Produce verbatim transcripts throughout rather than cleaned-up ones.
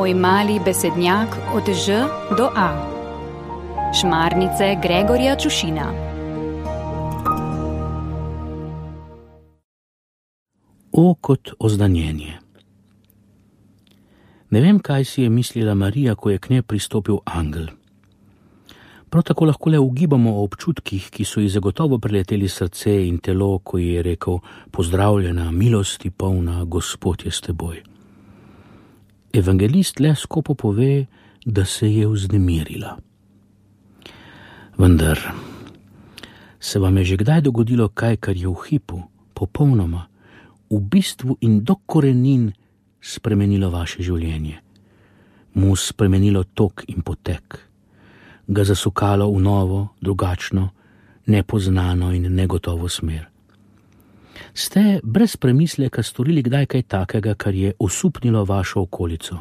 Moj mali besednjak od Ž do A. Šmarnice Gregorja Čušina. O kot oznanjenje. Ne vem, kaj si je mislila Marija, ko je k njej pristopil angel. Prav tako lahko le ugibamo o občutkih, ki so ji zagotovo preleteli srce in telo, ko ji je rekel: pozdravljena, milosti polna, Gospod je s teboj. Evangelist le skopo pove, da se je vznemirila. Vendar, se vam je že kdaj dogodilo kaj, kar je v hipu, popolnoma, v bistvu in do korenin spremenilo vaše življenje, mu spremenilo tok in potek, ga zasukalo v novo, drugačno, nepoznano in negotovo smer? Ste brez premisleka storili kdaj kaj takega, kar je osupnilo vašo okolico?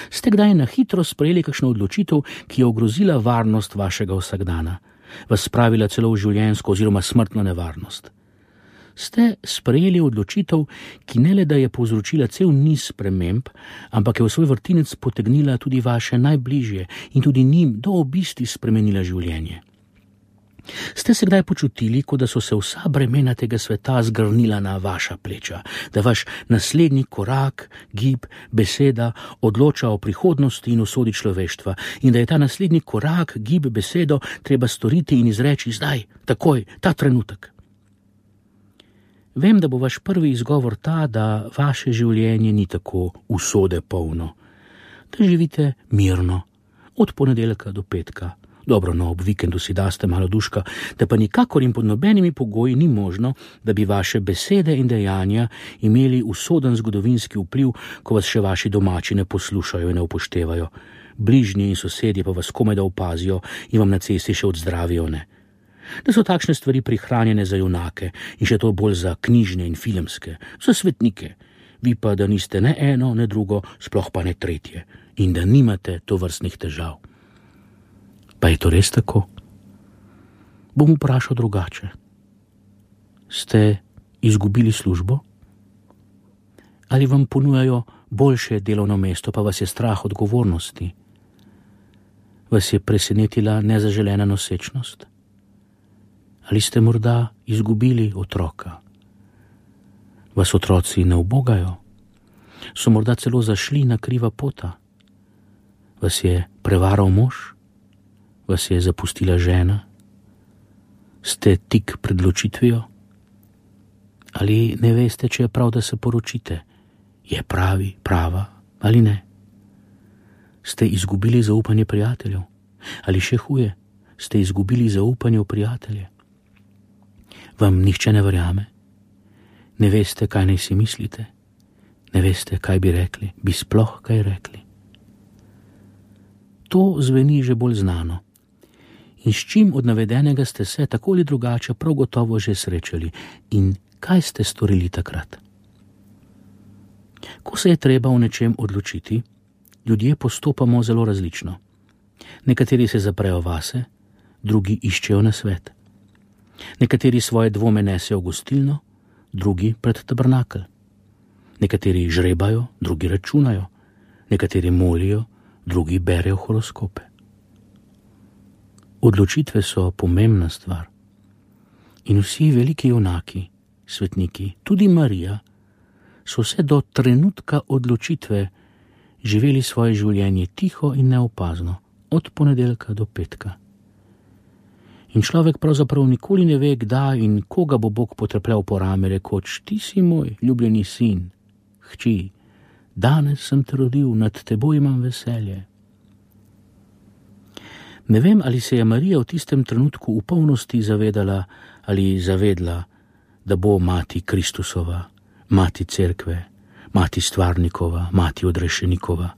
Ste kdaj na hitro sprejeli kakšno odločitev, ki je ogrozila varnost vašega vsakdana, vas spravila celo v življenjsko oziroma smrtno nevarnost? Ste sprejeli odločitev, ki ne le da je povzročila cel niz sprememb, ampak je v svoj vrtinec potegnila tudi vaše najbližje in tudi njim do obisti spremenila življenje? Ste se kdaj počutili, kot da so se vsa bremena tega sveta zgrnila na vaša pleča, da vaš naslednji korak, gib, beseda odloča o prihodnosti in usodi človeštva in da je ta naslednji korak, gib, besedo treba storiti in izreči zdaj, takoj, ta trenutek? Vem, da bo vaš prvi izgovor ta, da vaše življenje ni tako usode polno, da živite mirno, od ponedeljka do petka. Dobro, no, ob vikendu si daste malo duška, da pa nikakor in pod nobenimi pogoji ni možno, da bi vaše besede in dejanja imeli usoden zgodovinski vpliv, ko vas še vaši domači ne poslušajo in ne upoštevajo. Bližnji in sosedje pa vas komaj da opazijo in vam na cesti še odzdravijo, ne. Da so takšne stvari prihranjene za junake in še to bolj za knjižne in filmske, za svetnike, vi pa da niste ne eno, ne drugo, sploh pa ne tretje in da nimate tovrstnih težav. Pa je to res tako? Bom vprašal drugače. Ste izgubili službo? Ali vam ponujajo boljše delovno mesto, pa vas je strah odgovornosti? Vas je presenetila nezaželena nosečnost? Ali ste morda izgubili otroka? Vas otroci ne ubogajo? So morda celo zašli na kriva pota? Vas je prevaral mož? Vas je zapustila žena? Ste tik pred ločitvijo? Ali ne veste, če je prav, da se poročite? Je pravi, prava ali ne? Ste izgubili zaupanje prijateljev? Ali še huje, ste izgubili zaupanje v prijatelje? Vam nihče ne verjame? Ne veste, kaj naj si mislite? Ne veste, kaj bi rekli? Bi sploh kaj rekli? To zveni že bolj znano. In s čim od navedenega ste se tako ali drugače prav gotovo že srečali in kaj ste storili takrat? Ko se je treba v nečem odločiti, ljudje postopamo zelo različno. Nekateri se zaprejo vase, drugi iščejo nasvet. Nekateri svoje dvome nesejo v gostilno, drugi pred tabernakelj. Nekateri žrebajo, drugi računajo. Nekateri molijo, drugi berejo horoskope. Odločitve so pomembna stvar. In vsi veliki junaki, svetniki, tudi Marija, so vse do trenutka odločitve živeli svoje življenje tiho in neopazno, od ponedeljka do petka. In človek pravzaprav nikoli ne ve, kdaj in koga bo Bog potrepljal po rame, rekoč: ti si moj ljubljeni sin, hči, danes sem te rodil, nad teboj imam veselje. Ne vem, ali se je Marija v tistem trenutku v polnosti zavedala ali zavedla, da bo mati Kristusova, mati cerkve, mati stvarnikova, mati odrešenikova,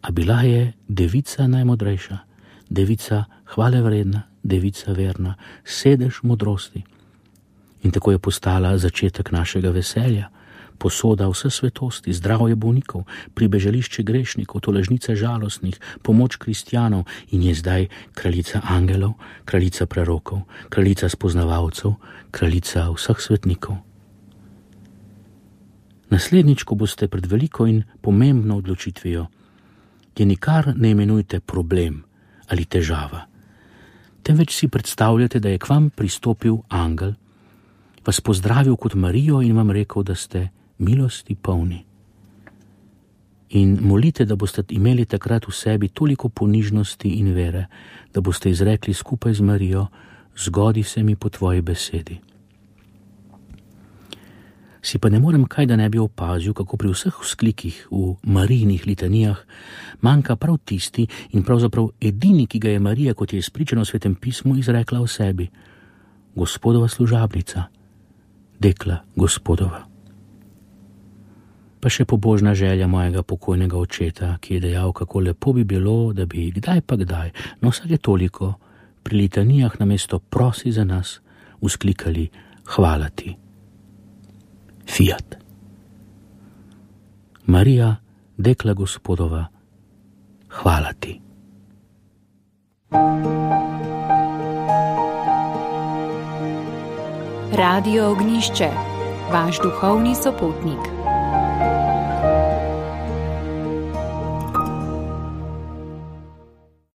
a bila je devica najmodrejša, devica hvalevredna, devica verna, sedež modrosti. In tako je postala začetek našega veselja, posoda vse svetosti, zdravje bolnikov, pribežališče grešnikov, tolažnica žalostnih, pomoč kristjanov in je zdaj kraljica angelov, kraljica prerokov, kraljica spoznavalcev, kraljica vseh svetnikov. Naslednjič, ko boste pred veliko in pomembno odločitvijo, je nikar ne imenujte problem ali težava. Temveč si predstavljate, da je k vam pristopil angel, vas pozdravil kot Marijo in vam rekel, da ste milosti polni. In molite, da boste imeli takrat v sebi toliko ponižnosti in vere, da boste izrekli skupaj z Marijo: zgodi se mi po tvoji besedi. Si pa ne morem kaj, da ne bi opazil, kako pri vseh vzklikih v Marijinih litanijah manjka prav tisti in pravzaprav edini, ki ga je Marija, kot je izpričano v Svetem pismu, izrekla o sebi: Gospodova služabnica, dekla Gospodova. Pa še pobožna želja mojega pokojnega očeta, ki je dejal, kako lepo bi bilo, da bi kdaj pa kdaj, no vsake toliko, pri litanijah namesto prosi za nas, vzklikali hvala ti. Fiat. Marija, dekla Gospodova, hvala ti. Radio Ognišče, vaš duhovni sopotnik.